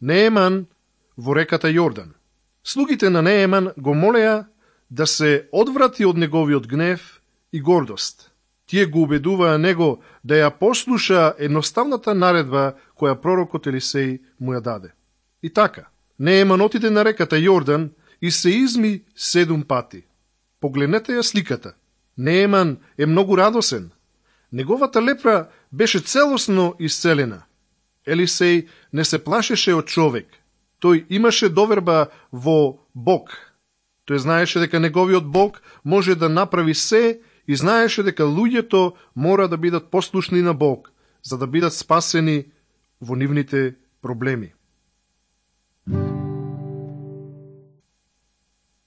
Нееман во реката Јордан. Слугите на Нееман го молеа да се одврати од неговиот гнев и гордост. Тие го убедуваа него да ја послуша едноставната наредба која пророкот Елисеј му ја даде. И така, Нееман отиде на реката Јордан и се изми 7 пати. Погледнете ја сликата. Нееман е многу радосен. Неговата лепра беше целосно исцелена. Елисеј не се плашеше од човек. Тој имаше доверба во Бог. Тој знаеше дека неговиот Бог може да направи се и знаеше дека луѓето мора да бидат послушни на Бог, за да бидат спасени во нивните проблеми.